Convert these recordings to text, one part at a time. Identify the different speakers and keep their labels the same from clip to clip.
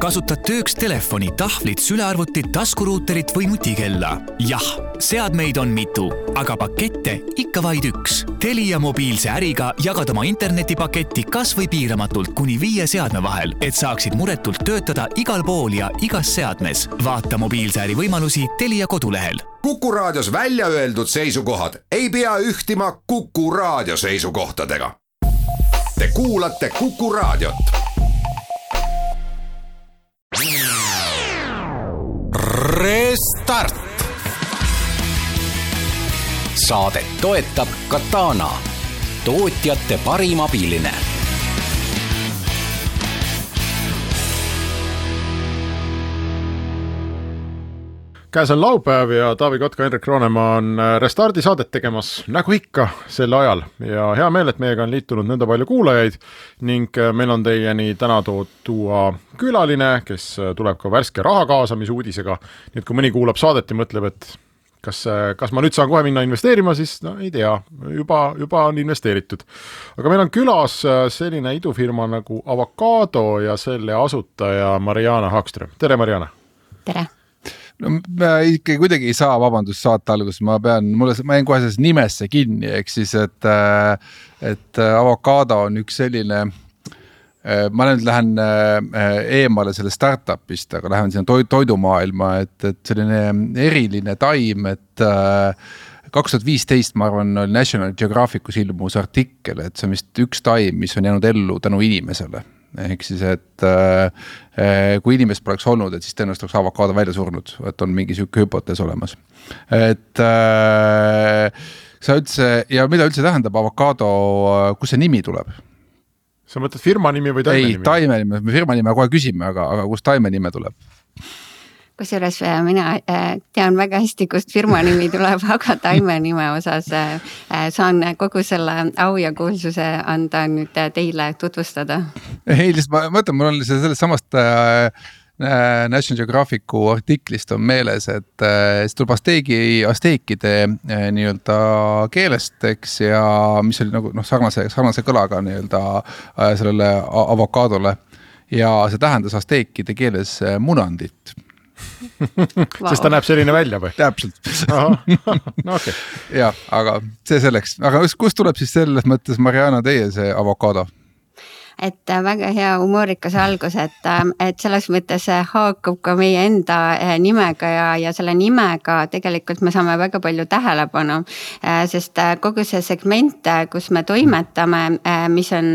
Speaker 1: kasutad tööks telefoni, tahvlit, sülearvutit, taskuruuterit või nutikella? Jah, seadmeid on mitu, aga pakette ikka vaid üks. Telia mobiilse äriga jagad oma internetipaketti kas või piiramatult kuni 5 seadme vahel, et saaksid muretult töötada igal pool ja igas seadmes. Vaata mobiilse äri võimalusi Telia kodulehel.
Speaker 2: Kuku Raadios välja öeldud seisukohad ei pea ühtima Kuku Raadio seisukohtadega. Te kuulate Kuku Raadiot.
Speaker 3: Restart. Saadet toetab Katana, tootjate parim abiline.
Speaker 4: Käes on laupäev ja Taavi Kotka, Henrik Roonemaa on Restardi saadet tegemas nagu ikka sel ajal ja hea meel, et meiega on liitunud nõnda palju kuulajaid ning meil on teieni täna tuua külaline, kes tuleb ka värske raha kaasamise uudisega. Nii et kui mõni kuulab saadet ja mõtleb, et kas ma nüüd saan kohe minna investeerima, siis no ei tea, juba on investeeritud. Aga meil on külas selline idufirma nagu Avocado ja selle asutaja Mariana Hagström. Tere, Mariana!
Speaker 5: Tere!
Speaker 6: No, ma ikka kuidagi ei saa vabandust saata alguses, ma jään kohe selles nimesse kinni, ehk siis, et Avocado on üks selline, ma nüüd lähen eemale selle startupist, aga lähen sinna toidumaailma, et selline eriline taim, et 2015, ma arvan, oli National Geographicus ilmus artikkel, et see on vist üks taim, mis on jäänud ellu tänu inimesele. Ehk siis, et kui inimest poleks olnud, et siis tõenäoliselt oleks Avocado välja surnud, et on mingi süüke hüpotees olemas. Et sa üldse, ja mida üldse tähendab Avocado, kus see nimi tuleb?
Speaker 4: Sa mõtled firma nimi või taime nimi?
Speaker 6: Ei, taime nimi, me firma nime kohe küsime, aga kus taime nime tuleb?
Speaker 5: Kusjuures mina tean väga hästi, kust firma nimi tuleb, aga taime nime osas saan kogu selle au ja kuulsuse anda nüüd teile tutvustada.
Speaker 6: Ei, ma mõtlen, mul on sellest samast National Geographicu artiklist on meeles, et see tuleb asteekide nii-öelda keelest, eks, ja mis oli nagu sarnase kõlaga nii-öelda sellele avokadole ja see tähendas asteekide keeles munandit.
Speaker 4: Sest ta näeb selline välja või?
Speaker 6: Täpselt.
Speaker 4: No, okay.
Speaker 6: Ja, aga see selleks. Aga kust tuleb siis selles mõttes, Mariana, teie see Avocado?
Speaker 5: Et väga hea humoorikas algus, et selles mõttes haakub ka meie enda nimega ja selle nimega tegelikult me saame väga palju tähelepanu, sest kogu see segment, kus me toimetame, mis on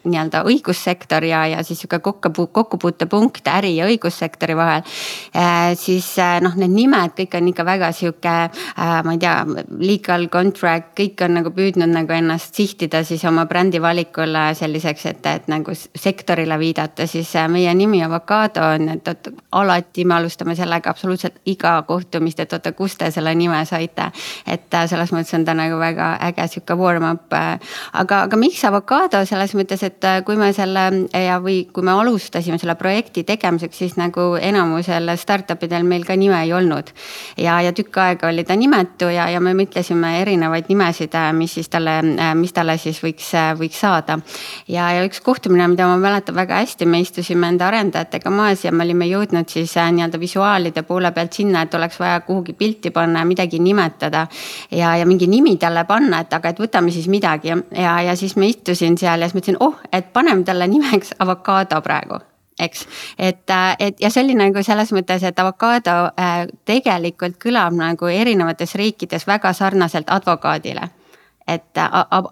Speaker 5: nii-öelda õigussektor ja siis kokkupuutepunkt äri ja õigussektori vahel, siis need nimed kõik on ikka väga siuke, ma ei tea, legal contract, kõik on nagu püüdnud nagu ennast sihtida siis oma brändi valikule selliseks, et nagu sektorile viidata, siis meie nimi Avocado on, et alati me alustame sellega absoluutselt iga kohtumist, et kus te selle nime saite, et selles mõttes on ta nagu väga äge siuke warm-up, aga miks Avocado selles mõttes, et kui me kui me alustasime selle projekti tegemiseks, siis nagu enamusel startupidel meil ka nime ei olnud ja tükk aega oli ta nimetu ja me mõtlesime erinevaid nimesid, mis talle siis võiks saada ja üks kohtumine, mida ma mäletan väga hästi, me istusime enda arendajatega maas ja me olime jõudnud siis nii-öelda visuaalide poole pealt sinna, et oleks vaja kuhugi pilti panna ja midagi nimetada ja mingi nimi talle panna, et võtame siis midagi ja siis me istusin seal ja siis mõtlesin, et paneme talle nimeks Avocado praegu. Eks, et ja see oli nagu selles mõttes, et Avocado tegelikult kõlab nagu erinevates riikides väga sarnaselt advokaadile. Et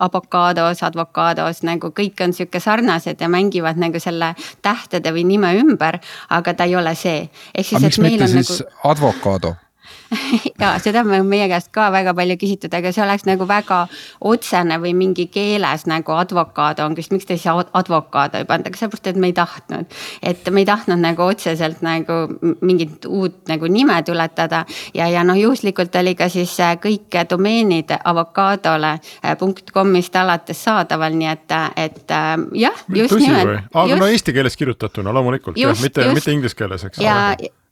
Speaker 5: advokados nagu kõik on siuke sarnased ja mängivad nagu selle tähtede või nime ümber, aga ta ei ole see.
Speaker 6: Aga miks mitte siis Avocado?
Speaker 5: Ja seda me meie käest ka väga palju küsitud, aga see oleks nagu väga otsene või mingi keeles nagu advokaado on, miks te siis advokaado ei panda, aga sellepärast, et me ei tahtnud nagu otseselt nagu mingit uut nagu nime tuletada ja juhuslikult oli ka siis kõik domeenid avocadole.comist alates saadaval, nii et jah, just
Speaker 4: nimelt. Aga eesti keeles kirjutatuna loomulikult, mitte inglise keeles, eks?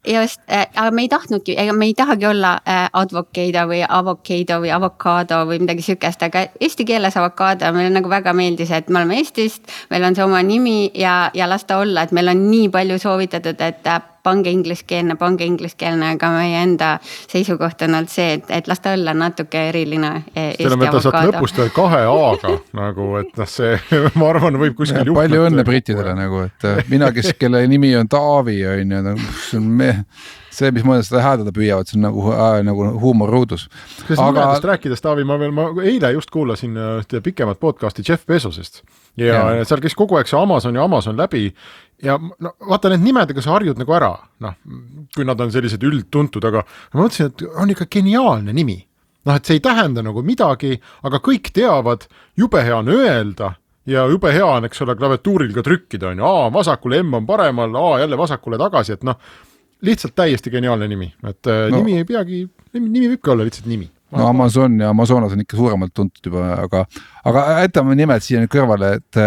Speaker 5: Just, aga me ei tahtnudki, ega me ei tahagi olla advocado või avocado või midagi sükest, aga eesti keeles avocado meile nagu väga meeldis, et me oleme Eestist, meil on see oma nimi ja las ta olla, et meil on nii palju soovitatud, et pange ingliskeelne, aga meie enda seisukoht on olnud see, et las ta olla natuke eriline Eesti avocado.
Speaker 4: Saad lõpust 2 A-ga nagu, et see, ma arvan, võib kuskil juhtuda.
Speaker 6: Palju õnne brittidele nagu, et mina, kelle nimi on Taavi, see, mis mõned seda häädada püüavad, see on nagu huumorruudus.
Speaker 4: Kas nimedest rääkides, Taavi, ma eile just kuulasin pikemat podcasti Jeff Bezosest ja seal käis kogu aeg see Amazon läbi ja no, vaata need nimedega sa harjud nagu ära, kui nad on sellised üldtuntud, aga ma mõtlesin, et on ikka geniaalne nimi. Et see ei tähenda nagu midagi, aga kõik teavad, jube hea on öelda ja jube hea on, eks ole, klaviatuuril ka trükkida on. A vasakule, M on paremal, A jälle vasakule tagasi, et lihtsalt täiesti geniaalne nimi. Et nimi ei peagi, nimi võibki olla lihtsalt nimi.
Speaker 6: No Amazon ja Amazonas on ikka suuremalt tuntud juba, aga jätame nimed siia nüüd kõrvale, et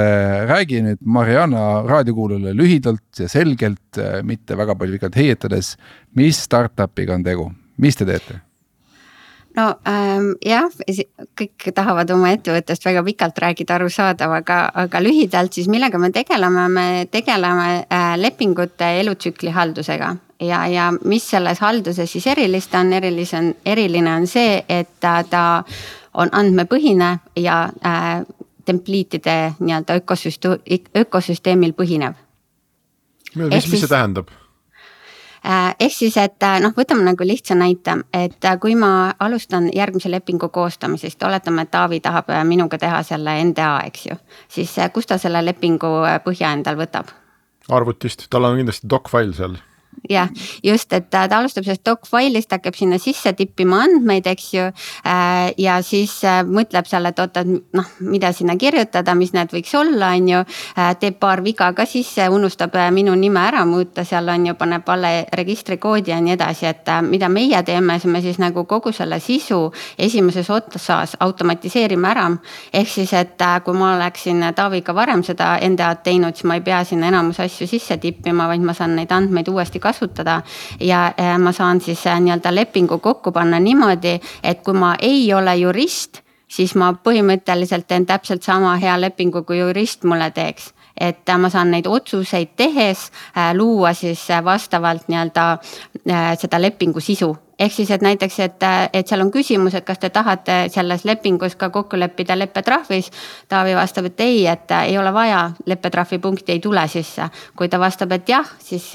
Speaker 6: räägi nüüd Mariana raadiokuulule lühidalt ja selgelt, mitte väga palju vikalt heietades, mis startupiga on tegu, mis te teete?
Speaker 5: No jah, kõik tahavad oma ettevõttest väga pikalt räägida arusaadav, aga lühidalt siis millega me tegeleme lepingute elutsükli haldusega ja mis selles halduses siis eriline on see, et ta on andmepõhine ja templiitide nii-öelda ökosüsteemil põhinev.
Speaker 4: Mis see tähendab?
Speaker 5: Ehk siis, et võtame nagu lihtsa näite, et kui ma alustan järgmise lepingu koostamisest, oletame, et Taavi tahab minuga teha selle NDA, eks ju, siis kus ta selle lepingu põhja endal võtab?
Speaker 4: Arvutist, tal on kindlasti doc-file seal.
Speaker 5: Jah, just, et ta alustab sellest doc-file'ist, hakkab sinna sisse tippima andmeid, eks ju, ja siis mõtleb seal, et oota, mida sinna kirjutada, mis need võiks olla, on ju, teeb paar viga ka sisse, unustab minu nime ära muuta, seal on ju, paneb alle registrikoodi ja nii edasi, et mida meie teeme, me siis nagu kogu selle sisu esimeses otsas automatiseerime ära, ehk siis, et kui ma oleksin Taaviga varem seda NDA-d teinud, siis ma ei pea sinna enamus asju sisse tippima, vaid ma saan neid andmeid uuesti kasutada ja ma saan siis nii-öelda lepingu kokku panna niimoodi, et kui ma ei ole jurist, siis ma põhimõtteliselt teen täpselt sama hea lepingu, kui jurist mulle teeks. Et ma saan neid otsuseid tehes luua siis vastavalt nii-öelda seda lepingu sisu. Ehk siis, et näiteks, et seal on küsimus, et kas te tahate selles lepingus ka kokku leppida leppetrahvis. Taavi vastab, et ei, et ei ole vaja, leppetrahvi punkti ei tule sisse. Kui ta vastab, et jah, siis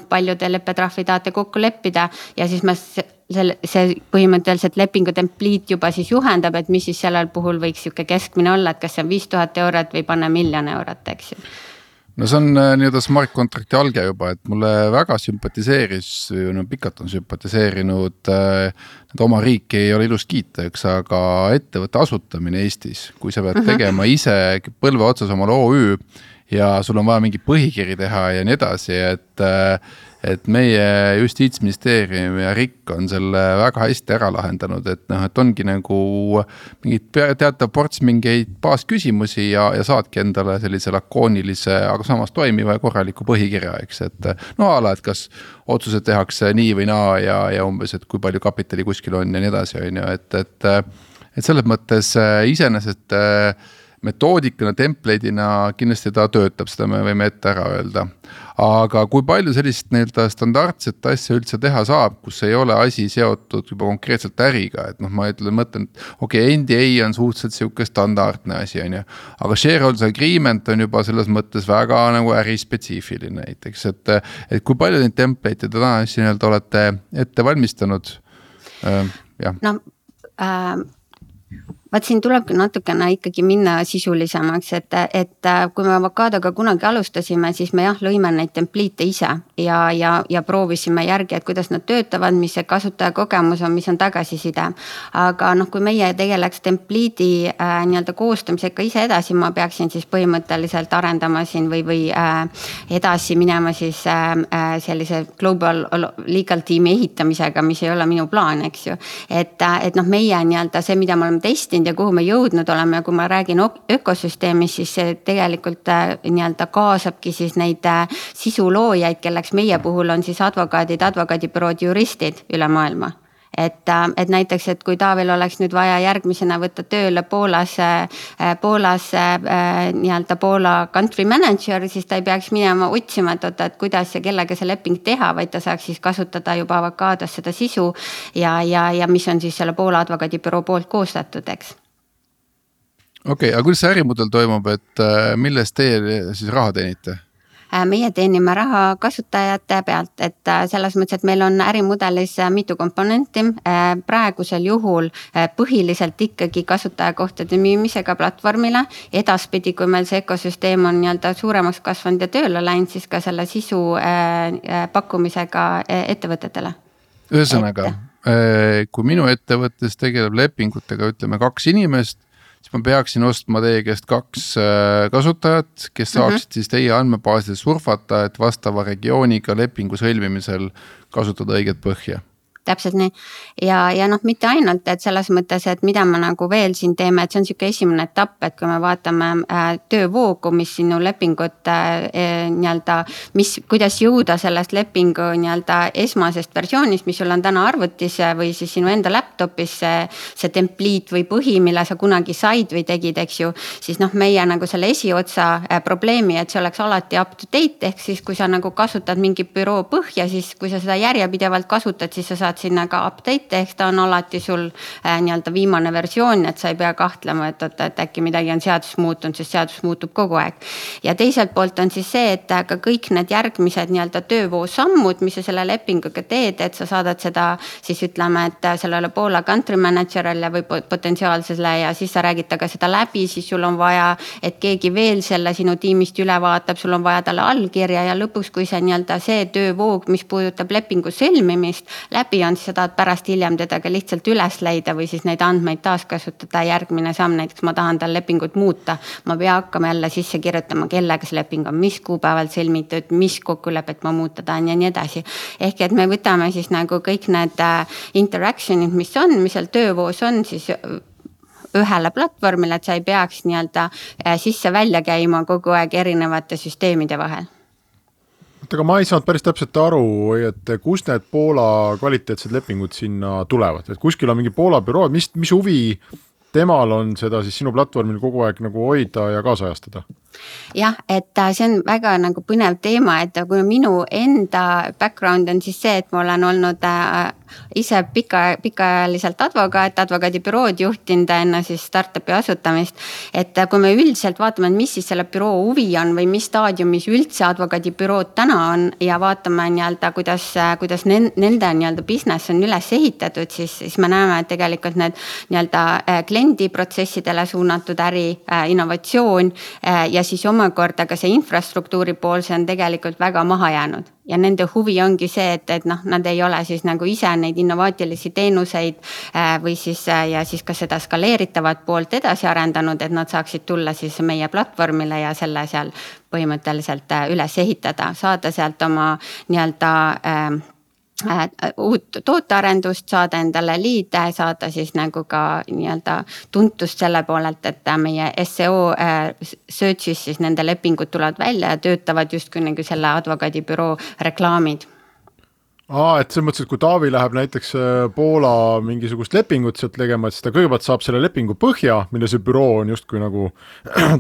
Speaker 5: palju te leppetrahvi tahate kokku leppida ja siis ma see põhimõtteliselt lepingu templiit juba siis juhendab, et mis siis sellel puhul võiks siuke keskmine olla, et kas see on 5000 eurot või panna 1 000 000 eurot, eks ju.
Speaker 6: No see on nii-öelda smart contracti alge juba, et mulle väga sümpatiseeris, pikalt on sümpatiseerinud, et oma riiki ei ole ilus kiita, aga ettevõtte asutamine Eestis, kui sa pead tegema ise põlve otsas omale OÜ ja sul on vaja mingi põhikiri teha ja nii edasi, et meie Justiitsministeerium ja RIK on selle väga hästi ära lahendanud, et ongi nagu mingid teatav ports mingeid baasküsimusi ja saadki endale sellise lakoonilise, aga samas toimiva ja korraliku põhikirja, eks, et ala, et kas otsused tehakse nii või naa ja umbes, et kui palju kapitali kuskil on ja nii edasi, on ju, et selles mõttes iseenesest metoodikana, template'ina kindlasti ta töötab, seda me võime ette ära öelda. Aga kui palju sellist standardset asja üldse teha saab, kus ei ole asi seotud juba konkreetselt äriga, et ma mõtlen, et NDA on suhteliselt siuke standardne asi, on ju, aga shareholders agreement on juba selles mõttes väga nagu ärispetsiifiline näiteks, et kui palju neid template'e täna olete ette valmistanud?
Speaker 5: Vaat siin tulebki natukene ikkagi minna sisulisemaks, et kui me Avocadoga kunagi alustasime, siis me lõime neid templiite ise ja proovisime järgi, et kuidas nad töötavad, mis see kasutaja kogemus on, mis on tagasiside. Aga kui meie tegeleks templiidi nii-öelda koostamisega ise edasi, ma peaksin siis põhimõtteliselt arendama siin või edasi minema siis sellise global legal tiimi ehitamisega, mis ei ole minu plaan, eks ju. Et meie nii-öelda see, mida me oleme testinud läinud ja kuhu me jõudnud oleme ja kui ma räägin ökosüsteemis, siis see tegelikult nii-öelda kaasabki siis neid sisuloojaid, kelleks meie puhul on siis advokaadid, advokaadibürood, juristid üle maailma. Et näiteks, et kui Taavil oleks nüüd vaja järgmisena võtta tööle Poolas nii-öelda Poola country manager, siis ta ei peaks minema otsima, et kuidas ja kellega see leping teha, vaid ta saaks siis kasutada juba Avocaados seda sisu ja mis on siis selle Poola advokaadibüroo poolt koostatud, eks.
Speaker 6: Okei, aga kuidas see ärimudel toimub, et millest teie siis raha teenite?
Speaker 5: Meie teenime raha kasutajate pealt, et selles mõttes, et meil on ärimudelis mitu komponenti. Praegusel juhul põhiliselt ikkagi kasutajakohtade müümisega platvormile. Edaspidi, kui meil see ökosüsteem on nii-öelda suuremaks kasvanud ja tööle läinud, siis ka selle sisu pakkumisega ettevõtetele.
Speaker 6: Ühesõnaga, kui minu ettevõttes tegeleb lepingutega, ütleme 2 inimest, siis ma peaksin ostma teie käest 2 kasutajat, kes saaksid siis teie andmebaaside surfata, et vastava regiooniga lepingu sõlmimisel kasutada õiget põhja.
Speaker 5: Täpselt nii. Ja noh, mitte ainult, et selles mõttes, et mida me nagu veel siin teeme, et see on siuke esimene etapp, et kui me vaatame töövoogu, mis sinu lepingut nii-öelda, kuidas jõuda sellest lepingu nii-öelda esmasest versioonist, mis sul on täna arvutis või siis sinu enda laptopis see template või põhi, mille sa kunagi said või tegid, eks ju, siis noh, meie nagu selle esiotsa probleemi, et see oleks alati up to date, ehk siis kui sa nagu kasutad mingi büroo põhja, siis kui sa seda järjepidevalt kasutad, siis sa saad sinna ka update, ehk ta on alati sul nii-öelda viimane versioon, et sa ei pea kahtlema, et äkki midagi on seadus muutunud, sest seadus muutub kogu aeg. Ja teiselt poolt on siis see, et ka kõik need järgmised nii-öelda töövoo sammud, mis sa selle lepinguga teed, et sa saadad seda siis ütleme, et sellele Poola country manager'ile või potentsiaalsele ja siis sa räägid taga seda läbi, siis sul on vaja, et keegi veel selle sinu tiimist üle vaatab, sul on vaja talle allkirja ja lõpuks, kui see nii-öelda see töövoog, mis puudutab lepingu sõlmimist läbi on, siis sa tahad pärast hiljem teda ka lihtsalt üles leida või siis neid andmeid taaskasutada. Järgmine samm, näiteks ma tahan tal lepingut muuta. Ma pea hakkama jälle sisse kirjutama, kellega see leping on, mis kuupäeval sõlmitud, mis kokkulepet ma muuta tahan ja nii edasi. Ehk et me võtame siis nagu kõik need interactionid, mis seal töövoos on, siis ühele platvormile, et sa ei peaks nii-öelda sisse välja käima kogu aeg erinevate süsteemide vahel.
Speaker 4: Aga ma ei saanud päris täpselt aru, et kus need Poola kvaliteetsed lepingud sinna tulevad, et kuskil on mingi Poola büroo, mis huvi temal on seda siis sinu platvormil kogu aeg nagu hoida ja kaasajastada?
Speaker 5: Jah, et see on väga nagu põnev teema, et kui minu enda background on siis see, et ma olen olnud ise pikaajaliselt advokaadibürood juhtinud enne siis startupi asutamist, et kui me üldiselt vaatame, mis siis selle büroo huvi on või mis staadiumis üldse advokaadibürood täna on ja vaatame nii-öelda, kuidas nende nii-öelda business on üles ehitatud, siis me näeme, et tegelikult need nii-öelda kliendiprotsessidele suunatud äri, innovatsioon ja siis omakorda ka see infrastruktuuri pool, see on tegelikult väga maha jäänud. Ja nende huvi ongi see, et noh, nad ei ole siis nagu ise neid innovaatilisi teenuseid või siis ja siis ka seda skaleeritavat poolt edasi arendanud, et nad saaksid tulla siis meie platvormile ja selle seal põhimõtteliselt üles ehitada, saada sealt oma nii-öelda uut tootearendust, saada endale liide, saada siis nagu ka nii-öelda tuntust selle poolelt, et meie SEO search'is siis nende lepingud tulevad välja ja töötavad justkui nagu selle advokaadibüroo reklaamid.
Speaker 4: Et see mõttes, et kui Taavi läheb näiteks Poola mingisugust lepingut sealt tegema, et siis ta kõigepealt saab selle lepingu põhja, mille see büroo on justkui nagu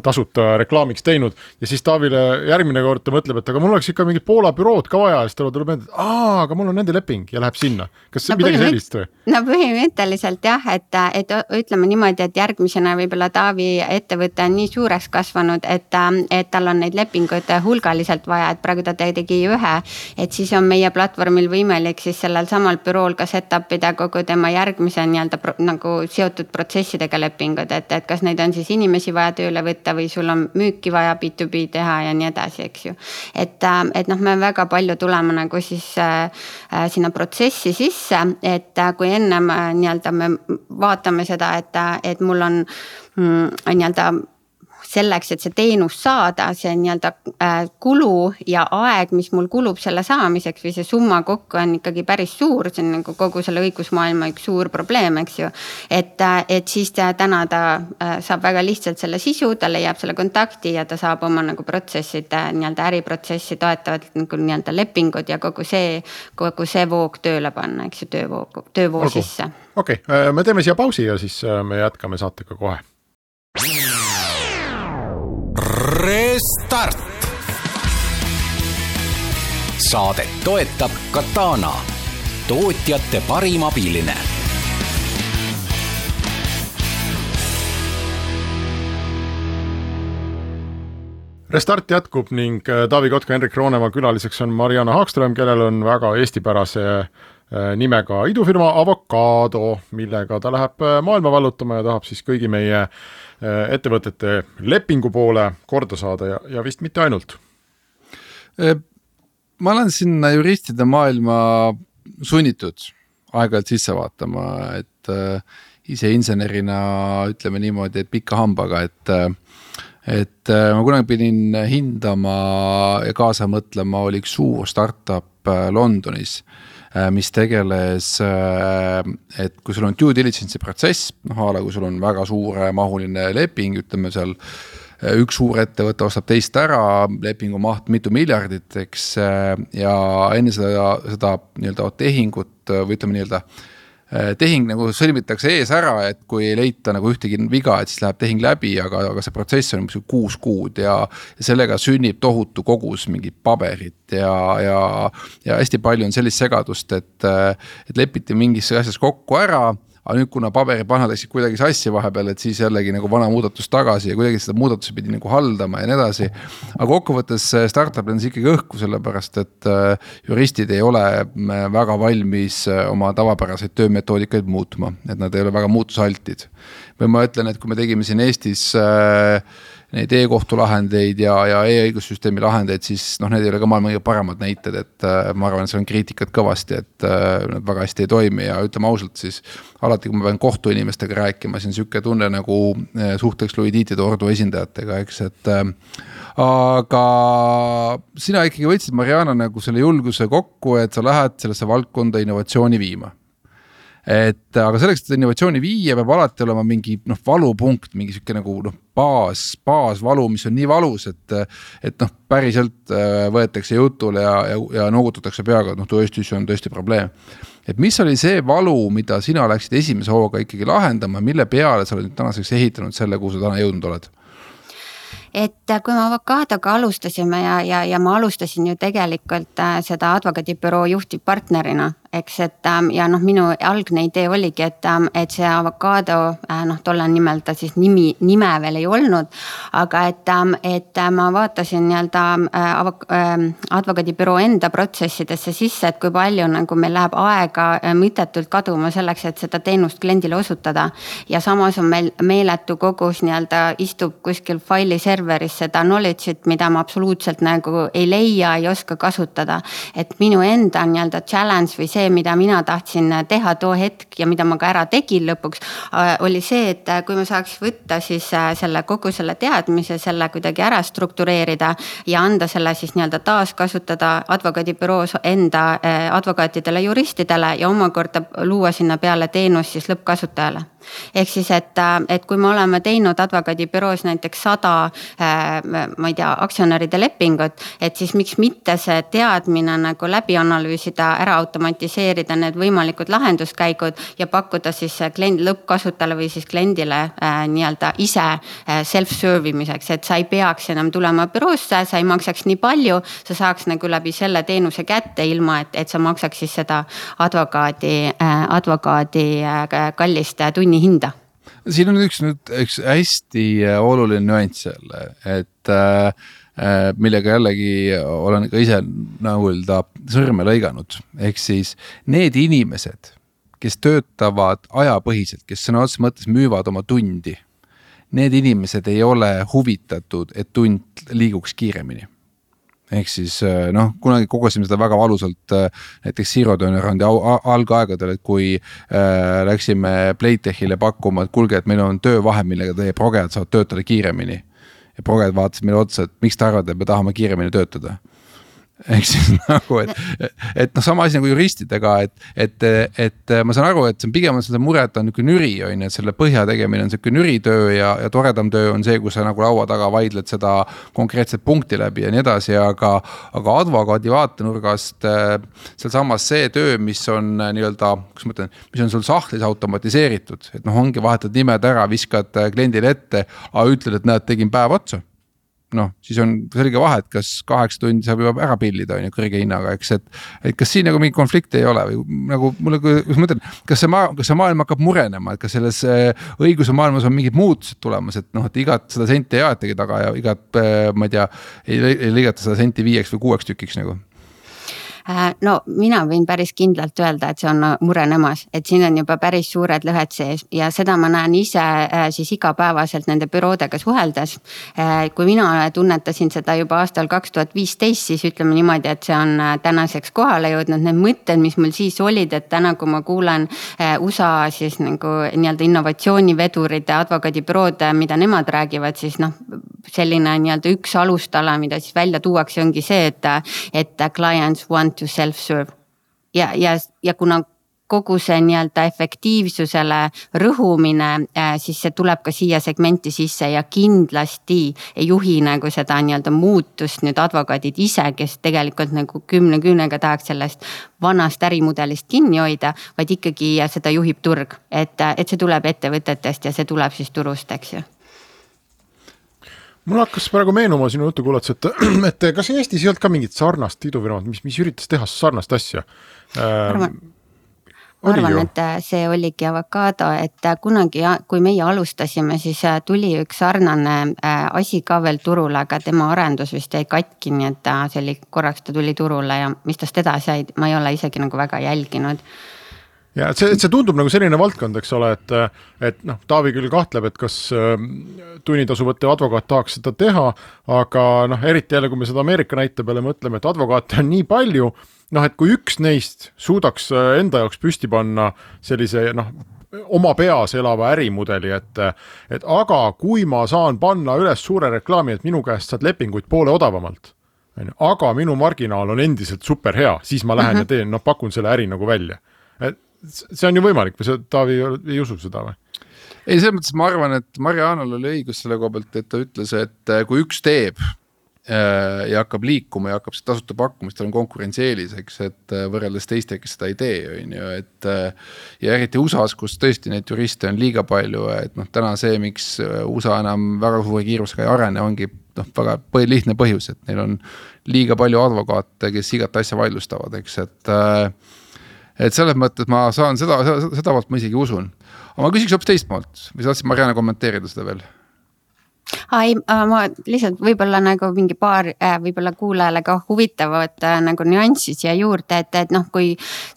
Speaker 4: tasuta reklaamiks teinud ja siis Taavile järgmine kord ta mõtleb, et aga mul oleks ikka mingid Poola bürood ka vaja ja siis tuleb meelde, et aga mul on nende leping ja läheb sinna. Kas see midagi sellist või?
Speaker 5: No põhimõtteliselt jah, et ütleme niimoodi, et järgmisena võib-olla Taavi ettevõte on nii suureks kasvanud, et tal on neid lepinguid hulgaliselt vaja, et praegu ta tegi ühe, et siis on meie platvormil võimalik siis sellel samal bürool ka setupida kogu tema järgmise nii-öelda nagu seotud protsessidega lepingud, et kas neid on siis inimesi vaja tööle võtta või sul on müüki vaja B2B teha ja nii edasi, eks ju. Et noh, me väga palju tuleme nagu siis sinna protsessi sisse, et kui ennem nii-öelda me vaatame seda, et mul on nii-öelda selleks, et see teenus saada, see nii-öelda kulu ja aeg, mis mul kulub selle saamiseks või see summa kokku on ikkagi päris suur, see on nagu kogu selle õigusmaailma üks suur probleem, eks ju. Et siis täna ta saab väga lihtsalt selle sisu, ta leiab selle kontakti ja ta saab oma nagu protsessid, nii-öelda äriprotsessi toetavad nagu nii-öelda lepingud ja kogu see voog tööle panna, eks ju, töövoo sisse.
Speaker 4: Okei, me teeme siia pausi ja siis me jätkame saatega kohe.
Speaker 3: Restart. Saadet toetab Katana, tootjate parim abiline.
Speaker 4: Restart jätkub ning Taavi Kotka, Henrik Roonemaa külaliseks on Mariana Haagström, kellel on väga eestipärase nimega idufirma Avocado, millega ta läheb maailma vallutama ja tahab siis kõigi meie ettevõtete lepingu poole korda saada ja vist mitte ainult.
Speaker 6: Ma olen sinna juristide maailma sunnitud aeg-ajalt sisse vaatama, et ise insenerina ütleme niimoodi, et pika hambaga, et ma kunagi pidin hindama ja kaasa mõtlema, oli üks suur startup Londonis, mis tegeles, et kui sul on due diligence'i protsess, kui sul on väga suure mahuline leping, ütleme seal üks suur ettevõte ostab teist ära, lepingu maht mitu miljardit, eks, ja enne seda nii-öelda tehingut või ütleme nii-öelda tehing nagu sõlmitakse ees ära, et kui ei leita nagu ühtegi viga, et siis läheb tehing läbi, aga see protsess on 6 kuud ja sellega sünnib tohutu kogus mingit paberit ja hästi palju on sellist segadust, et lepiti mingis asjas kokku ära, aga nüüd kuna paberipannad läksid kuidagi sassi vahepeal, et siis jällegi nagu vana muudatus tagasi ja kuidagi seda muudatuse pidi nagu haldama ja nii edasi. Aga kokkuvõttes startup on ikkagi õhku, sellepärast, et juristid ei ole väga valmis oma tavapäraseid töömetoodikaid muutma, et nad ei ole väga muutusaltid. Või ma ütlen, et kui me tegime siin Eestis neid e-kohtulahendeid ja e-õigussüsteemi lahendeid, siis need ei ole ka maailma kõige paremad näited, et ma arvan, et see on kriitikat kõvasti, et nad väga hästi ei toimi ja ütleme ausalt siis alati, kui ma pean kohtuinimestega rääkima, siis on siuke tunne nagu suhteks Luidiitide ordu esindajatega, eks, et aga sina ikkagi võtsid, Mariana, nagu selle julguse kokku, et sa lähed sellesse valdkonda innovatsiooni viima. Aga selleks, et innovatsiooni viia, peab alati olema mingi valupunkt, mingi siuke nagu baasvalu, mis on nii valus, et päriselt võetakse jutule ja noogutatakse peaga, et tõesti, see on tõesti probleem. Et mis oli see valu, mida sina läksid esimese hooga ikkagi lahendama, mille peale sa oled nüüd tänaseks ehitanud selle, kuhu sa täna jõudnud oled?
Speaker 5: Et kui me Avocadoga alustasime ja ma alustasin ju tegelikult seda advokaadibüroo juhtivpartnerina, eks, et ja minu algne idee oligi, et see Avocado, tolle nimel ta siis nime veel ei olnud, aga et ma vaatasin nii-öelda advokaadibüroo enda protsessidesse sisse, et kui palju nagu meil läheb aega mõtetult kaduma selleks, et seda teenust kliendile osutada ja samas on meil meeletu kogus nii-öelda istub kuskil faili serveris seda knowledge'it, mida ma absoluutselt nagu ei leia, ei oska kasutada, et minu enda nii-öelda challenge või see, mida mina tahtsin teha too hetk ja mida ma ka ära tegin lõpuks, oli see, et kui me saaks võtta siis kogu selle teadmise, selle kuidagi ära struktureerida ja anda selle siis nii-öelda taaskasutada advokaadibüroos enda advokaatidele, juristidele ja omakorda luua sinna peale teenus siis lõppkasutajale. Ehk siis, et kui me oleme teinud advokaadibüroos näiteks 100 ma ei tea, aktsionäride lepingut, et siis miks mitte see teadmine nagu läbi analüüsida, ära automatiseerida need võimalikud lahenduskäigud ja pakkuda siis lõppkasutajale või siis kliendile nii-öelda ise self-servimiseks, et sa ei peaks enam tulema büroosse, sa ei maksaks nii palju, sa saaks nagu läbi selle teenuse kätte ilma, et sa maksaks siis seda advokaadi kallist tunni hinda.
Speaker 6: Siin on üks hästi oluline nüanss jälle, et millega jällegi olen ka ise sõrme lõiganud. Ehk siis need inimesed, kes töötavad ajapõhiselt, kes sõna otseses mõttes müüvad oma tundi, need inimesed ei ole huvitatud, et tund liiguks kiiremini. Ehk siis kunagi kogusime seda väga valusalt näiteks Zero Turnaroundi algaegadel, et kui läksime Playtechile pakkuma, et kuulge, et meil on töövahe, millega teie progejad saavad töötada kiiremini. ja proged vaatasid meile otsa, et miks te arvate, et me tahame kiiremini töötada. Ehk siis nagu, et noh, sama asi nagu juristidega, et ma saan aru, et see on pigem seda mure, et on niisugune nüri, on, et selle põhja tegemine on niisugune nüritöö ja toredam töö on see, kus sa nagu laua taga vaidled seda konkreetset punkti läbi ja nii edasi, aga advokaadi vaatenurgast seal samas see töö, mis on nii-öelda, kus ma ütlen, mis on sul sahtlis automatiseeritud, et noh, ongi vahetad nimed ära, viskad kliendile ette, aga ütled, et näed, tegin päev otsa. Noh, siis on selge vahe, et kas 8 tundi saab juba ära pillida on ju kõrge hinnaga, eks, et kas siin nagu mingi konflikti ei ole või nagu mulle, kus ma mõtlen, kas see maailm hakkab murenema, et kas selles õiguse maailmas on mingid muutused tulemas, et noh, et igat seda senti ei aetagi taga ja igat, ma ei tea, ei lõigata seda senti 5 või 6 tükiks nagu.
Speaker 5: No mina võin päris kindlalt öelda, et see on murenemas, et siin on juba päris suured lõhed sees ja seda ma näen ise siis igapäevaselt nende büroodega suheldes. Kui mina tunnetasin seda juba aastal 2015, siis ütleme niimoodi, et see on tänaseks kohale jõudnud. Need mõtted, mis mul siis olid, et täna kui ma kuulen USA siis nagu nii-öelda innovatsioonivedurite advokaadibürood, mida nemad räägivad, siis noh, selline nii-öelda üks alustala, mida siis välja tuuakse, ongi see, et clients want to self-serve ja kuna kogu see nii-öelda efektiivsusele rõhumine, siis see tuleb ka siia segmenti sisse ja kindlasti ei juhi nagu seda nii-öelda muutust nüüd advokaadid ise, kes tegelikult nagu 10 küünega tahaks sellest vanast ärimudelist kinni hoida, vaid ikkagi seda juhib turg, et see tuleb ettevõtetest ja see tuleb siis turust, eks ju.
Speaker 4: Mul hakkas praegu meenuma sinu jutu kuulates, et kas Eestis ei olnud ka mingit sarnast idufirmat, mis üritas teha sarnast asja?
Speaker 5: Arvan, et see oligi Avocado, et kunagi, kui meie alustasime, siis tuli üks sarnane asi ka veel turule, aga tema arendus vist jäi katki, nii et see oli korraks ta tuli turule ja mis tast edasi jäid, ma ei ole isegi nagu väga jälginud.
Speaker 4: Ja see tundub nagu selline valdkond, eks ole, et noh, Taavi küll kahtleb, et kas tunnitasu võttev advokaat tahaks seda teha, aga noh, eriti jälle, kui me seda Ameerika näite peale mõtleme, et advokaate on nii palju, noh, et kui üks neist suudaks enda jaoks püsti panna sellise noh, oma peas elava ärimudeli, et aga kui ma saan panna üles suure reklaami, et minu käest saad lepinguid poole odavamalt, aga minu marginaal on endiselt super hea, siis ma lähen ja teen, noh, pakun selle äri nagu välja. See on ju võimalik või Taavi ei usu seda või?
Speaker 6: Ei, selles mõttes ma arvan, et Marianal oli õigus selle koha pealt, et ta ütles, et kui üks teeb ja hakkab liikuma ja hakkab seda tasuta pakkumist, tal on konkurentsieeliseks, et võrreldes teiste, kes seda ei tee, on ju, et ja eriti USAs, kus tõesti neid juriste on liiga palju, et noh, täna see, miks USA enam väga suure kiirusega ei arene, ongi noh, väga lihtne põhjus, et neil on liiga palju advokaate, kes igat asja vaidlustavad, eks, et selles mõttes ma saan seda poolt ma isegi usun. Aga ma küsiks hoopis teist poolt, või saatsid Mariana kommenteerida seda veel?
Speaker 5: Ma lihtsalt võib-olla nagu mingi paar võib-olla kuulajale ka huvitavad nagu nüanssid siia juurde, et noh,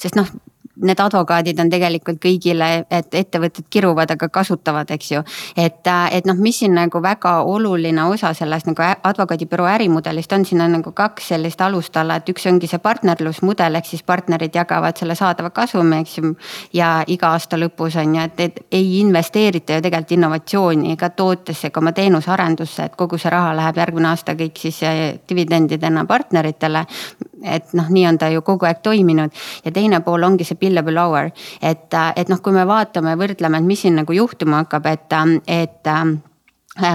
Speaker 5: sest noh, need advokaadid on tegelikult kõigile, et ettevõtted kiruvad, aga kasutavad, eks ju. Et noh, mis siin nagu väga oluline osa sellest nagu advokaadibüroo ärimudelist on, siin on nagu 2 sellist alustala, et üks ongi see partnerlusmudel, ehk siis partnerid jagavad selle saadava kasumi, eks ju, ja iga aasta lõpus on ju, et ei investeerita ju tegelikult innovatsiooni ega tootesse, ega oma teenusarendusse, et kogu see raha läheb järgmine aasta kõik siis dividendidena partneritele, et noh, nii on ta ju kogu aeg toiminud ja teine pool ongi see billable hour, et noh, kui me vaatame ja võrdleme, et mis siin nagu juhtuma hakkab, et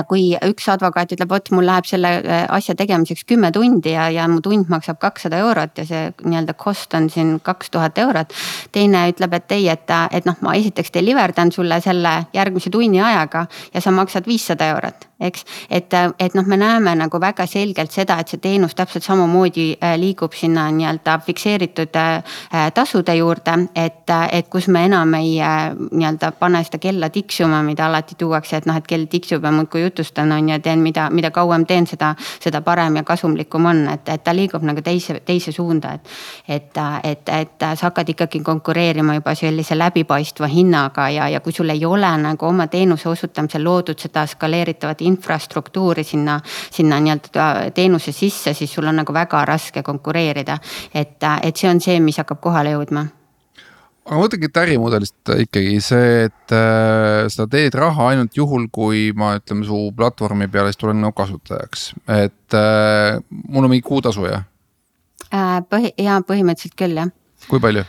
Speaker 5: kui üks advokaat ütleb, vot mul läheb selle asja tegemiseks 10 tundi ja mu tund maksab 200 eurot ja see nii-öelda cost on siin 2000 eurot. Teine ütleb, et ei, et noh, ma esiteks deliverdan sulle selle järgmise tunni ajaga ja sa maksad 500 eurot. Eks, et noh, me näeme nagu väga selgelt seda, et see teenus täpselt samamoodi liigub sinna nii-öelda fikseeritud tasude juurde, et kus me enam ei nii-öelda pane seda kella tiksuma, mida alati tuuakse, et noh, et kell tiksub ja muudkui jutustan on ja teen, mida kauem teen, seda parem ja kasumlikum on, et ta liigub nagu teise suunda, et sa hakkad ikkagi konkureerima juba sellise läbipaistva hinnaga ja kui sul ei ole nagu oma teenuse osutamisel loodud seda skaleeritavat infrastruktuuri sinna nii-öelda teenuse sisse, siis sul on nagu väga raske konkureerida. Et see on see, mis hakkab kohale jõudma.
Speaker 6: aga ma mõtlengi, et ärimudelist ikkagi see, et sa teed raha ainult juhul, kui ma ütleme su platvormi peale, siis tulen kasutajaks. Et mul on mingi kuutasu, jah?
Speaker 5: Põhimõtteliselt küll, jah.
Speaker 6: Kui palju?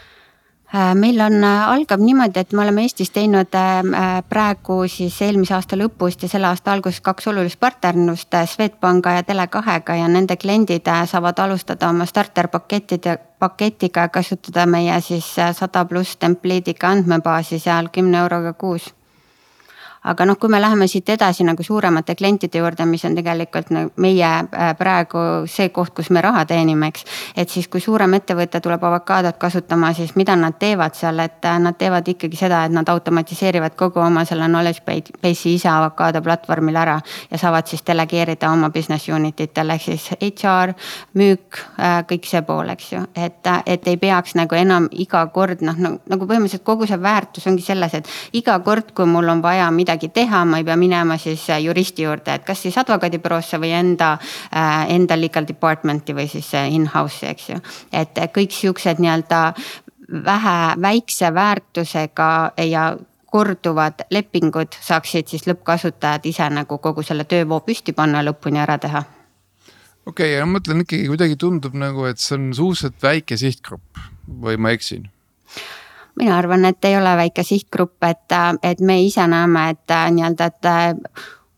Speaker 5: Meil algab niimoodi, et me oleme Eestis teinud praegu siis eelmise aasta lõpust ja selle aasta alguses 2 olulist partnerlust Swedbanka ja Tele2-ga ja nende kliendid saavad alustada oma starter-paketiga kasutada meie siis 100+ templiidiga andmebaasi seal 10 euroga kuus. Aga kui me läheme siit edasi nagu suuremate klientide juurde, mis on tegelikult meie praegu see koht, kus me raha teenime, eks. Et siis kui suurem ettevõte tuleb Avocaadot kasutama, siis mida nad teevad seal, et nad teevad ikkagi seda, et nad automatiseerivad kogu oma selle knowledge base'i ise Avocaado platvormil ära ja saavad siis delegeerida oma business unititele, ehk siis HR, müük, kõik see pool, eks ju. Et ei peaks nagu enam iga kord, nagu põhimõtteliselt kogu see väärtus ongi selles, et iga kord, kui mul on vaja midagi teha, ma ei pea minema siis juristi juurde, et kas siis advokaadibüroosse või enda legal departmenti või siis in-house, eks ju. Et kõik siuksed nii-öelda väikse väärtusega ja korduvad lepingud saaksid siis lõppkasutajad ise nagu kogu selle töövoo püsti panna lõpuni ära teha.
Speaker 6: Okei, ja ma mõtlen ikkagi kuidagi tundub nagu, et see on suhteliselt väike sihtgrupp või ma eksin?
Speaker 5: Mina arvan, et ei ole väike sihtgrupp, et me ise näeme, et nii-öelda, et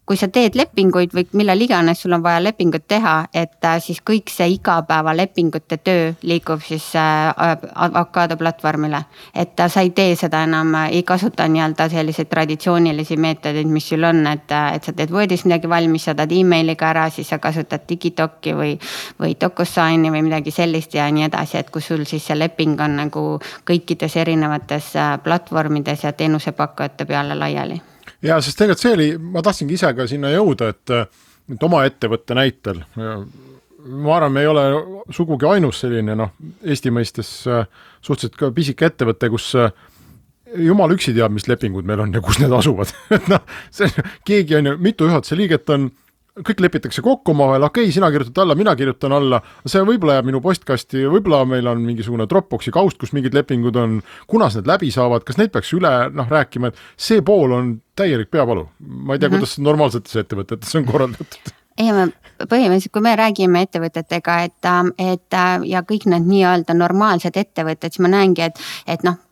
Speaker 5: kui sa teed lepinguid või millal iganes sul on vaja lepingut teha, et siis kõik see igapäeva lepingute töö liigub siis Avocaado platvormile. Et sa ei tee seda enam, ei kasuta nii-öelda selliseid traditsioonilisi meetodeid, mis sul on, et sa teed Wordis midagi valmis, saadad emailiga ära, siis sa kasutad Digidoc'i või DocuSigni või midagi sellist ja nii edasi, et kui sul siis see leping on nagu kõikides erinevates platvormides ja teenusepakkujate peale laiali.
Speaker 4: Ja, sest tegelikult see oli, ma tahtsingi ise ka sinna jõuda, et oma ettevõtte näitel, ma arvan, me ei ole sugugi ainus selline, Eesti mõistes suhteliselt ka pisike ettevõte, kus jumal üksi teab, mis lepingud meil on ja kus need asuvad. Keegi on ju, mitu juhatuse liiget on, kõik lepitakse kokku omavahel, okei, sina kirjutad alla, mina kirjutan alla, see võib-olla jääb minu postkasti, võib-olla meil on mingisugune Dropboxi kaust, kus mingid lepingud on, kunas need läbi saavad, kas neid peaks üle rääkima, et see pool on täielik peavalu. Ma ei tea, kuidas normaalsetes ettevõtetes on korraldatud.
Speaker 5: Ei, põhimõtteliselt, kui me räägime ettevõtetega, et ja kõik need nii-öelda normaalsed ettevõtted, siis ma näengi, et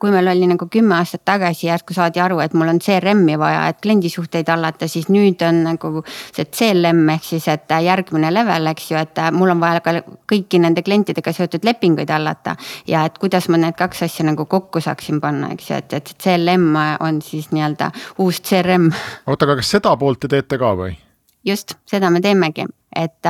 Speaker 5: kui meil oli nagu 10 aastat tagasi järsku saadi aru, et mul on CRM-i vaja, et kliendisuhteid allata, siis nüüd on nagu see CLM ehk siis, et järgmine level, eks ju, et mul on vaja ka kõiki nende klientidega seotud lepinguid allata ja et kuidas ma need 2 asja nagu kokku saaksin panna, eks ju, et CLM on siis nii-öelda uus CRM.
Speaker 4: Oota, aga kas seda poolt te teete ka või?
Speaker 5: Just, seda me teemegi. Et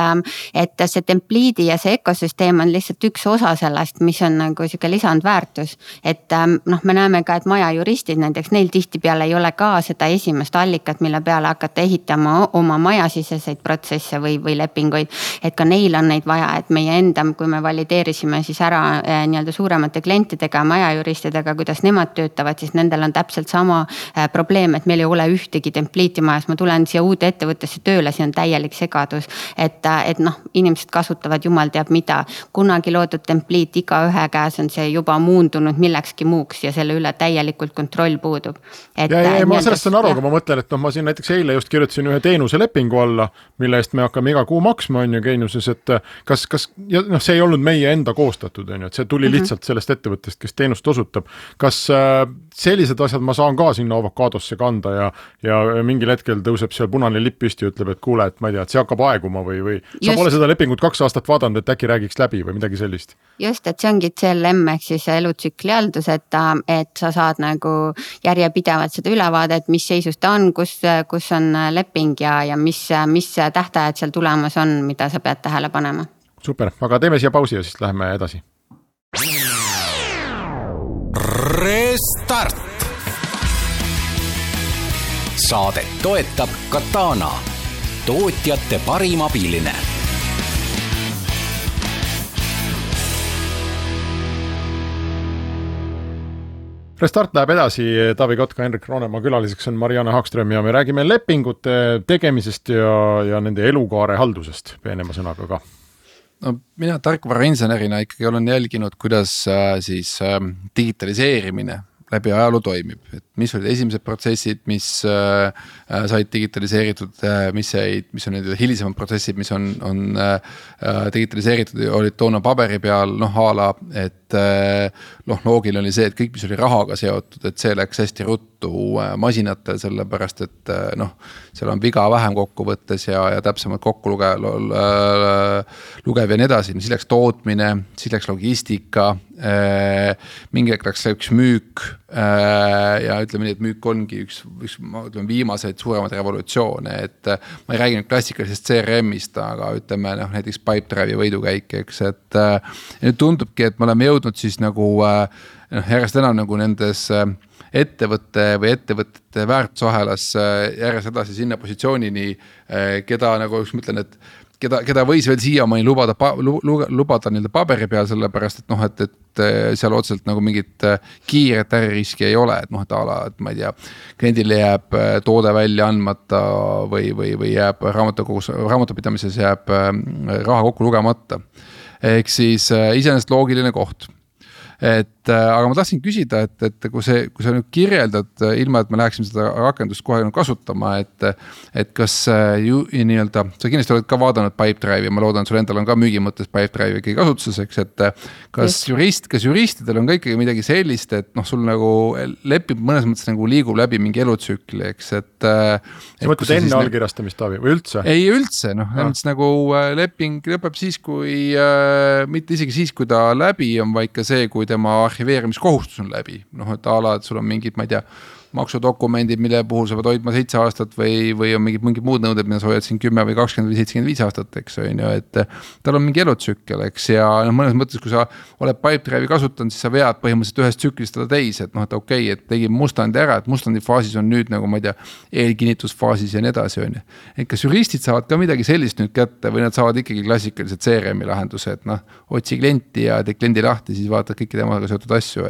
Speaker 5: see templiidi ja see ökosüsteem on lihtsalt üks osa sellest, mis on nagu siuke lisandväärtus. Et me näeme ka, et maja juristid näiteks, neil tihtipeale ei ole ka seda esimest allikat, mille peale hakata ehitama oma majasiseseid protsesse või lepinguid. Et ka neil on neid vaja, et meie enda, kui me valideerisime siis ära nii-öelda suuremate klientidega, majajuristidega, kuidas nemad töötavad, siis nendel on täpselt sama probleem, et meil ei ole ühtegi templiiti majas. Ma tulen siia uude ettevõttesse tööle, siin on täielik segadus. Et inimesed kasutavad jumal teab mida. Kunagi loodud templiit iga ühe käes on see juba muundunud millekski muuks ja selle üle täielikult kontroll puudub.
Speaker 4: Ma sellest on aru, aga ma mõtlen, et ma siin näiteks eile just kirjutasin ühe teenuselepingu alla, mille eest me hakkame iga kuu maksma on ju Geeniuses, et kas see ei olnud meie enda koostatud, on ju, et see tuli lihtsalt sellest ettevõttest, kes teenust osutab. Kas sellised asjad ma saan ka sinna Avocaadosse kanda ja mingil hetkel tõuseb seal punane lipp püsti ja ütleb, et kuule, et ma ei tea, et see hakkab aeguma või sa pole seda lepingut 2 aastat vaadanud, et äkki räägiks läbi või midagi sellist?
Speaker 5: Just, et see ongi CLM ehk siis elutsükli haldus, et sa saad nagu järjepidevalt seda ülevaadet, mis seisus ta on, kus on leping ja mis tähtajad seal tulemas on, mida sa pead tähele panema.
Speaker 4: Super, aga teeme siia pausi ja siis läheme edasi.
Speaker 3: Restart! Saadet toetab Katana, tootjate parim abiline.
Speaker 4: Restart läheb edasi, Taavi Kotka, Henrik Roonemaa külaliseks on Marianne Hagström ja me räägime lepingute tegemisest ja nende elukaare haldusest peenema sõnaga ka.
Speaker 6: No, mina tarkvarainsenerina ikkagi olen jälginud, kuidas siis digitaliseerimine läbi ajaloo toimib, et mis olid esimesed protsessid, mis said digitaliseeritud, mis on need hilisemad protsessid, mis on digitaliseeritud ja olid toona paberi peal, ala, et loogiline oli see, et kõik, mis oli rahaga seotud, et see läks hästi ruttu masinatel, sellepärast, et seal on viga vähem kokkuvõttes ja täpsemalt kokku lugev ja nii edasi, siis läks tootmine, siis läks logistika, mingi aeg läks üks müük ja ütleme nii, et müük ongi üks viimaseid suuremaid revolutsioone, et ma ei räägi nüüd klassikalisest CRM-ist, aga ütleme näiteks Pipedrive'i võidukäik, eks, et nüüd tundubki, et me oleme jõudnud siis nagu järjest enam nagu nendes ettevõtte või ettevõtete väärtusahelas järjest edasi sinna positsioonini, keda nagu üks mõtlen, et keda võis veel siiamaani lubada nii-öelda paberi peal, sellepärast, et seal otseselt nagu mingit kiiret äririski ei ole, et et ma ei tea, kliendile jääb toode välja andmata või jääb raamatupidamises jääb raha kokku lugemata. Ehk siis iseenesest loogiline koht. Aga ma tahtsin küsida, et kui sa nüüd kirjeldad, ilma et me läheksime seda rakendust kohe kasutama, et kas nii-öelda, sa kindlasti oled ka vaadanud Pipedrive'i ja ma loodan, sul endal on ka müügi mõttes Pipedrive'i ikkagi kasutuses, eks, et kas juristidel on ka ikkagi midagi sellist, et sul nagu lepib mõnes mõttes nagu liigub läbi mingi elutsükli, eks, et
Speaker 4: sa mõtled enne allkirjastamist, Taavi, või üldse?
Speaker 6: Ei üldse, nagu leping lõpeb siis, kui mitte isegi siis, kui ta läbi on, vaid ka see, kui tema arhiveerimiskohustus on läbi. Et et sul on mingid, ma ei tea, maksudokumendid, mille puhul sa pead hoidma 7 aastat või on mingid muud nõuded, mida sa hoiad siin 10 või 20 või 75 aastat, eks on ju, et tal on mingi elutsükkel, eks, ja mõnes mõttes, kui sa oled Pipedrive'i kasutanud, siis sa vead põhimõtteliselt ühest tsüklist seda teise, et okei, et tegin mustandi ära, et mustandi faasis on nüüd nagu, ma ei tea, eelkinnitusfaasis ja nii edasi, on ju. Et kas juristid saavad ka midagi sellist nüüd kätte või nad saavad ikkagi klassikalised CRM-i lahenduse, et otsi klienti ja tee kliendi lahti, siis vaatad kõiki temaga seotud asju,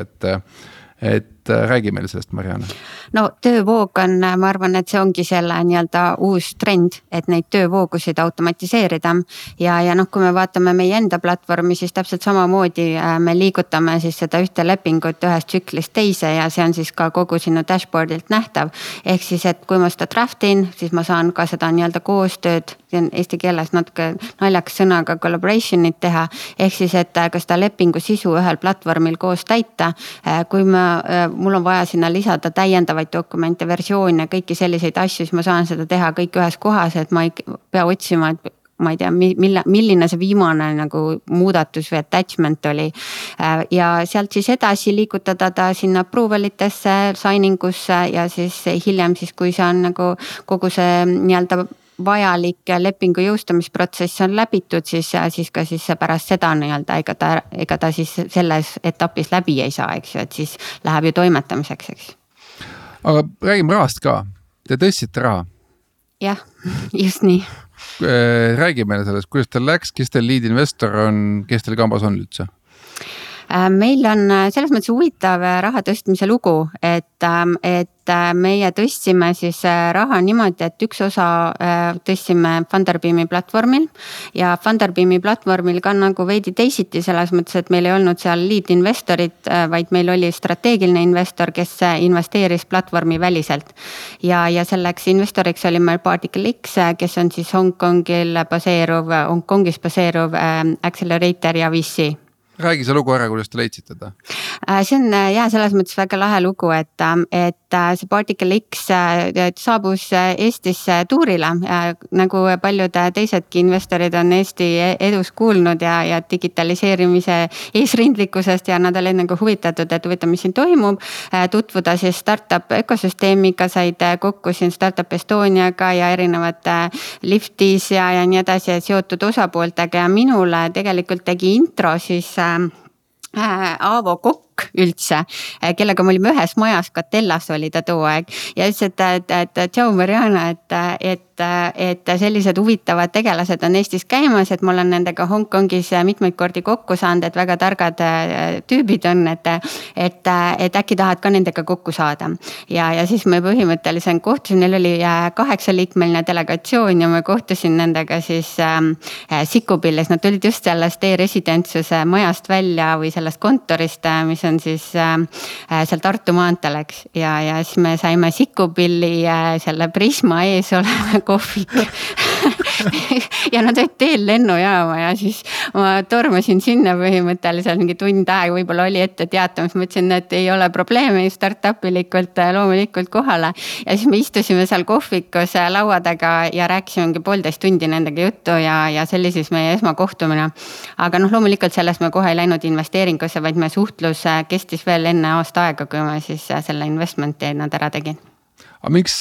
Speaker 6: et räägi meile sellest, Marianne.
Speaker 5: No töövoog on, ma arvan, et see ongi selle nii-öelda uus trend, et neid töövoogusid automatiseerida ja kui me vaatame meie enda platvormi, siis täpselt samamoodi me liigutame siis seda ühte lepingut ühest tsüklist teise ja see on siis ka kogu sinu dashboardilt nähtav. Ehk siis, et kui ma seda draftin, siis ma saan ka seda nii-öelda koostööd, see on eesti keeles natuke naljakas sõnaga collaboration'it teha, ehk siis, et ka seda lepingu sisu ühel platvormil koos täita, kui mul on vaja sinna lisada täiendavaid dokumente, versioone, kõiki selliseid asju, siis ma saan seda teha kõik ühes kohas, et ma ei pea otsima, et ma ei tea, milline see viimane nagu muudatus või attachment oli. Ja sealt siis edasi liigutada ta sinna approval'itesse, signing usse ja siis hiljem siis, kui see on nagu kogu see nii-öelda vajalik lepingu jõustamisprotsess on läbitud, siis ka siis pärast seda nii-öelda ega ta siis selles etapis läbi ei saa, eks ju, et siis läheb ju toimetamiseks, eks.
Speaker 6: Aga räägime rahast ka. Te tõstsite raha?
Speaker 5: Jah, just nii.
Speaker 6: Räägi meile sellest, kuidas teil läks, kes teil lead investor on, kes teil kambas on üldse?
Speaker 5: Meil on selles mõttes huvitav raha tõstmise lugu, et meie tõstsime siis raha niimoodi, et üks osa tõstsime Funderbeami platvormil ja Funderbeami platvormil ka nagu veidi teisiti selles mõttes, et meil ei olnud seal lead investorit, vaid meil oli strateegiline investor, kes investeeris platvormi väliselt. Ja selleks investoriks oli meil Particle X, kes on siis Hongkongis baseeruv Accelerator ja VC.
Speaker 6: Räägi see lugu ära, kuidas te leidsite ta?
Speaker 5: See on selles mõttes väga lahe lugu, et see Particle X saabus Eestisse tuurile, nagu paljud teisedki investorid on Eesti edus kuulnud ja digitaliseerimise eesrindlikkusest ja nad olid nagu huvitatud, et huvitav, mis siin toimub, tutvuda siis startup ökosüsteemiga, said kokku siin Startup Estoniaga ja erinevate Liftis ja nii edasi seotud osapooltega ja minule tegelikult tegi intro siis Aavo Kokk üldse, kellega me olime ühes majas, Katellas oli ta too aeg ja ütles, et tšau Mariana, et et sellised huvitavad tegelased on Eestis käimas, et ma olen nendega Hongkongis mitmeid kordi kokku saanud, et väga targad tüübid on, et äkki tahad ka nendega kokku saada. Ja siis me põhimõtteliselt kohtusin, neil oli 8-liikmeline delegatsioon ja ma kohtusin nendega siis Sikupillis, nad tulid just sellest e-residentsuse majast välja või sellest kontorist, mis on siis seal Tartu maanteel, eks. Ja siis me saime Sikupilli selle Prisma ees oleva kohvik ja nad olid teel lennujaama ja siis ma tormasin sinna põhimõtteliselt mingi tund aega, võib-olla oli ette teatamas, ma ütlesin, et ei ole probleemi startup-ilikult loomulikult kohale. Ja siis me istusime seal kohvikus laua taga ja rääkisime 1,5 tundi nendega juttu ja see oli siis meie esmakohtumine. Aga loomulikult selles me kohe ei läinud investeeringusse, vaid me suhtlus kestis veel enne aasta aega, kui ma siis selle investmenti nad ära tegin.
Speaker 6: Aga miks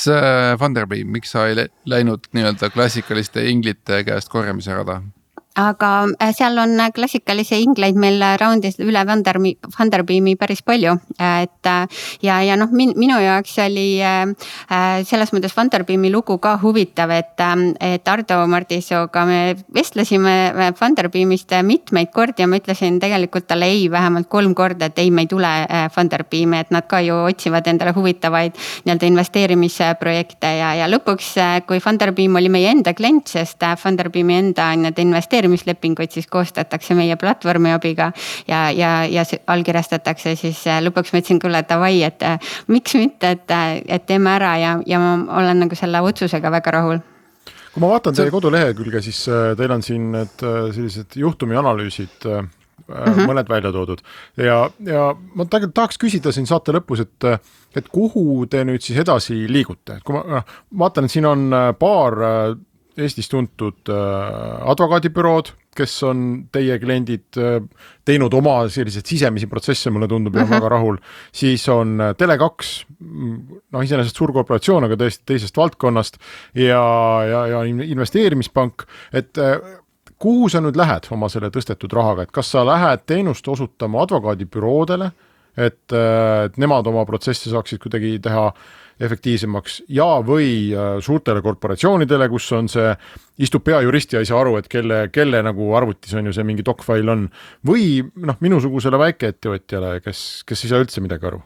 Speaker 6: Funderbeam, miks sa ei läinud nii-öelda klassikaliste inglite käest korjamise rada?
Speaker 5: Aga seal on klassikalisi ingleid meil raundis üle Funderbeami päris palju, et ja minu jaoks oli selles mõttes Funderbeami lugu ka huvitav, et Ardo Martisoga me vestlesime Funderbeamist mitmeid kordi ja ma ütlesin tegelikult talle ei vähemalt 3 korda, et ei, me ei tule Funderbeami, et nad ka ju otsivad endale huvitavaid nii-öelda investeerimisprojekte ja lõpuks, kui Funderbeam oli meie enda klient, sest Funderbeami enda investeerimislepinguid siis koostatakse meie platvormi abiga ja allkirjastatakse, siis lõpuks ma ütlesin küll, et davai, et miks mitte, et teeme ära ja ma olen nagu selle otsusega väga rahul.
Speaker 4: Kui ma vaatan teie kodulehekülge, siis teil on siin need sellised juhtumi analüüsid mõned välja toodud ja ma tegelikult tahaks küsida siin saate lõpus, et kuhu te nüüd siis edasi liigute, et kui ma vaatan, et siin on paar Eestis tuntud advokaadibürood, kes on teie kliendid teinud oma sellised sisemisi protsesse, mulle tundub ja väga rahul. Siis on Tele2, iseenesest suur korporatsioon, aga tõesti teisest valdkonnast ja investeerimispank, et kuhu sa nüüd lähed oma selle tõstetud rahaga, et kas sa lähed teenust osutama advokaadibüroodele, et nemad oma protsessi saaksid kuidagi teha efektiivsemaks ja või suurtele korporatsioonidele, kus on see, istub peajuristi ja ei saa aru, et kelle nagu arvutis on ju see mingi docfile on, või minusugusele väikeettevõtjale, kes ei saa üldse midagi aru.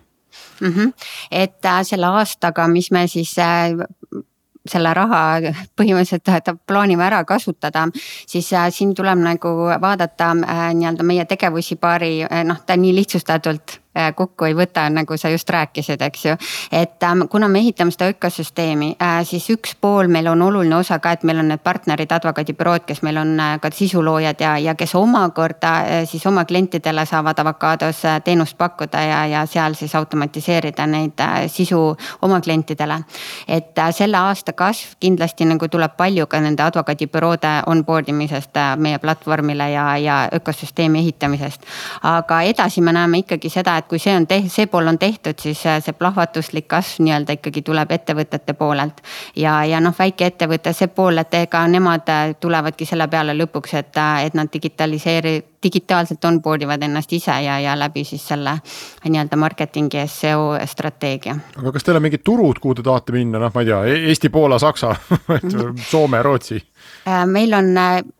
Speaker 5: Et selle aastaga, mis me siis selle raha põhimõtteliselt plaanime ära kasutada, siis siin tuleb nagu vaadata nii-öelda meie tegevusi paari, ta nii lihtsustatult kokku ei võta, nagu sa just rääkisid, eks ju. Et kuna me ehitame seda ökosüsteemi, siis üks pool meil on oluline osa ka, et meil on need partnerid, advokaadibürood, kes meil on ka sisuloojad ja kes omakorda siis oma klientidele saavad avokaados teenust pakkuda ja seal siis automatiseerida neid sisu oma klientidele. Et selle aasta kasv kindlasti nagu tuleb palju ka nende advokaadibüroode onboardimisest meie platvormile ja ökosüsteemi ehitamisest. Aga edasi me näeme ikkagi seda, et kui see pool on tehtud, siis see plahvatuslik kasv nii-öelda ikkagi tuleb ettevõtete poolelt. Ja väike ettevõte see pool, et ega nemad tulevadki selle peale lõpuks, et nad digitaalselt onboardivad ennast ise ja läbi siis selle nii-öelda marketingi SEO strateegia.
Speaker 4: Aga kas teil on mingid turud, kuhu te tahate minna? Ma ei tea, Eesti, Poola, Saksa, Soome, Rootsi?
Speaker 5: Meil on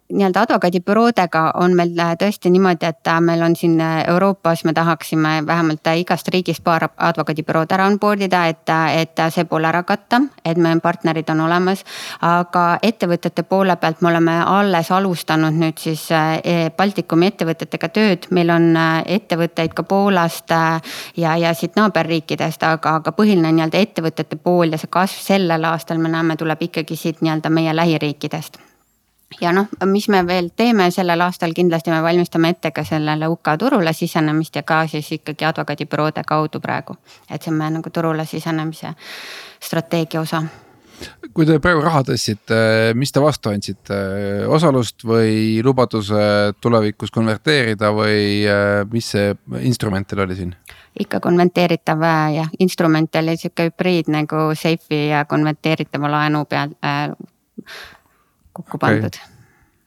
Speaker 5: nii-öelda advokaadibüroodega on meil tõesti niimoodi, et meil on siin Euroopas, me tahaksime vähemalt igast riigist paar advokaadibürood ära onboardida, et see pool ära katta, et meie partnerid on olemas. Aga ettevõtete poole pealt me oleme alles alustanud nüüd siis Baltikumi ettevõtetega tööd. Meil on ettevõtteid ka Poolast ja siit naaberriikidest, aga põhiline nii-öelda ettevõtete pool ja see kasv sellel aastal me näeme tuleb ikkagi siit nii-öelda meie lähiriikidest. Ja mis me veel teeme sellel aastal, kindlasti me valmistame ette ka sellele UK turule sisenemist ja ka siis ikkagi advokaadibüroode kaudu praegu. Et see on meie nagu turule sisenemise strateegia osa.
Speaker 6: Kui te praegu raha tõstsite, mis te vastu andsite? Osalust või lubaduse tulevikus konverteerida või mis see instrument teil oli siin?
Speaker 5: Ikka konverteeritav ja instrument oli siuke hübriid nagu Safe'i ja konverteeritava laenu peal kokku pandud.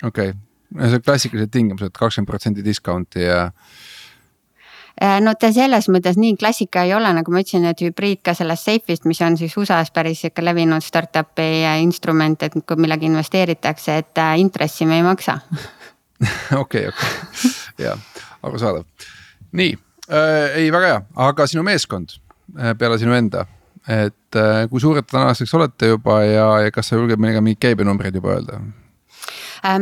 Speaker 6: Okei. See on klassikalised tingimused, 20% discounti ja
Speaker 5: no ta selles mõttes nii klassika ei ole, nagu ma ütlesin, et hübriid ka sellest Safe'ist, mis on siis USA-s päris ikka levinud startup'i instrument, et kui millega investeeritakse, et intressi me ei maksa.
Speaker 6: Okei. Jaa, arusaadav. Nii, ei väga hea, aga sinu meeskond peale sinu enda, et kui suured tänaseks olete juba ja kas sa julged meiega mingid käibenumbreid juba öelda?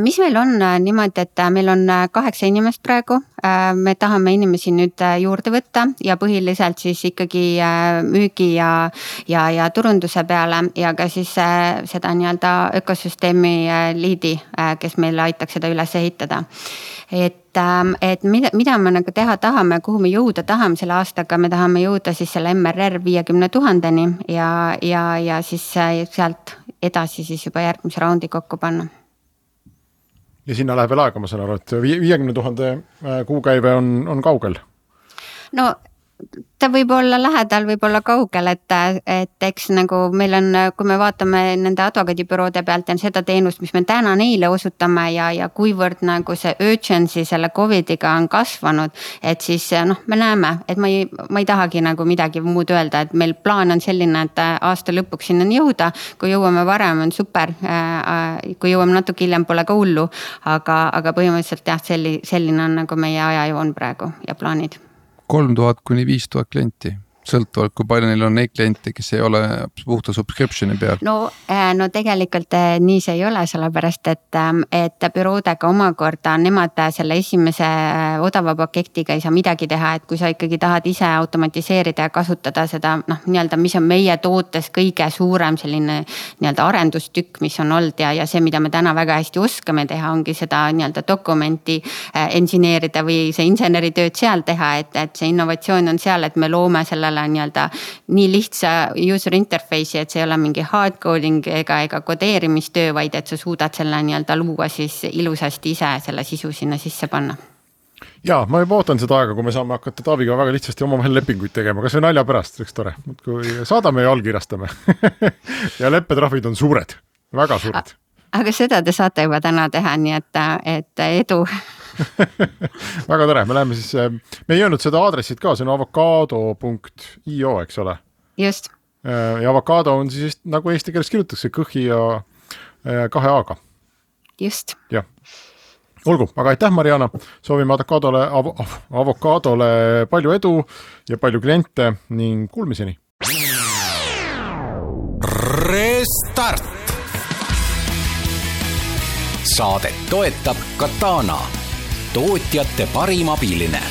Speaker 5: Mis meil on niimoodi, et meil on 8 inimest praegu, me tahame inimesi nüüd juurde võtta ja põhiliselt siis ikkagi müügi ja turunduse peale ja ka siis seda nii-öelda ökosüsteemi liidi, kes meile aitaks seda üles ehitada. Et mida me nagu teha tahame, kuhu me jõuda tahame selle aastaga, me tahame jõuda siis selle MRR 50,000-ni ja siis sealt edasi siis juba järgmise raundi kokku panna.
Speaker 4: Ja sinna läheb veel aega, ma saan aru, et 50,000 kuukäive on kaugel?
Speaker 5: No ta võib olla lähedal, võib olla kaugel, et eks nagu meil on, kui me vaatame nende advokaadibüroode pealt ja seda teenust, mis me täna neile osutame ja kuivõrd nagu see urgency selle COVIDiga on kasvanud, et siis me näeme, et ma ei tahagi nagu midagi muud öelda, et meil plaan on selline, et aasta lõpuks sinna jõuda, kui jõuame varem on super, kui jõuame natuke hiljem pole ka hullu, aga põhimõtteliselt jah, selline on nagu meie ajajoon praegu ja plaanid.
Speaker 6: 3000 kuni 5000 klienti, sõltuvalt kui palju neil on neid kliente, kes ei ole puhta subscriptioni peal?
Speaker 5: No tegelikult nii see ei ole, sellepärast, et büroodega omakorda nemad selle esimese odava paketiga ei saa midagi teha, et kui sa ikkagi tahad ise automatiseerida ja kasutada seda, nii-öelda, mis on meie tootes kõige suurem selline nii-öelda arendustükk, mis on olnud ja see, mida me täna väga hästi oskame teha, ongi seda nii-öelda dokumenti engineerida või see inseneritööd seal teha, et see innovatsioon on seal, et me loome sellele nii-öelda nii lihtsa user interface'i, et see ei ole mingi hardcoding ega kodeerimistöö, vaid et sa suudad selle nii-öelda luua siis ilusasti ise selle sisu sinna sisse panna.
Speaker 4: Jaa, ma juba ootan seda aega, kui me saame hakata Taaviga väga lihtsasti omavahel lepinguid tegema, kas või nalja pärast, üks tore, kui saadame ja allkirjastame ja leppetrahvid on suured, väga suured.
Speaker 5: Aga seda te saate juba täna teha, nii et edu.
Speaker 4: Väga tore, me läheme siis, me ei öelnud seda aadressit ka, see on avocado.io, eks ole?
Speaker 5: Just.
Speaker 4: Ja avocado on siis nagu eesti keeles kirjutatakse kõhi ja 2 A-ga.
Speaker 5: Just.
Speaker 4: Jah. Olgu, aga aitäh Mariana, soovime avocadole palju edu ja palju kliente ning kuulmiseni.
Speaker 3: Restart! Saadet toetab Katana, tootjate parim abiline.